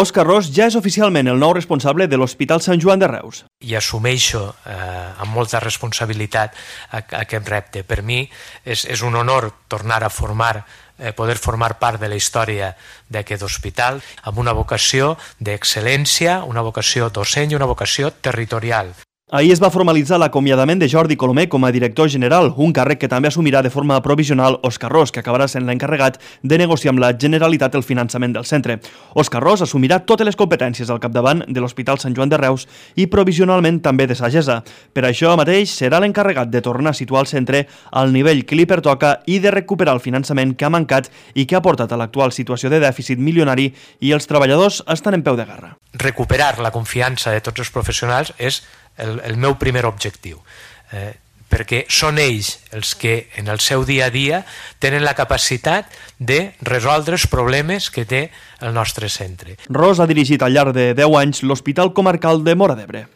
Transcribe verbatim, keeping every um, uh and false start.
Òscar Ros ja és oficialment el nou responsable de l'Hospital Sant Joan de Reus. I assumeixo eh, amb molta responsabilitat aquest repte. Per mi és, és un honor tornar a formar, eh, poder formar part de la història d'aquest hospital amb una vocació d'excel·lència, una vocació docent i una vocació territorial. Ahir es va formalitzar l'acomiadament de Jordi Colomer com a director general, un càrrec que també assumirà de forma provisional Òscar Ros, que acabarà sent l'encarregat de negociar amb la Generalitat el finançament del centre. Òscar Ros assumirà totes les competències al capdavant de l'Hospital Sant Joan de Reus i provisionalment també de sagessa. Per això mateix serà l'encarregat de tornar a situar el centre al nivell que li pertoca i de recuperar el finançament que ha mancat i que ha portat a l'actual situació de dèficit milionari, i els treballadors estan en peu de guerra. Recuperar la confiança de tots els professionals és El, el meu primer objectiu, eh, perquè són ells els que en el seu dia a dia tenen la capacitat de resoldre els problemes que té el nostre centre. Ros ha dirigit al llarg de deu anys l'Hospital Comarcal de Móra d'Ebre.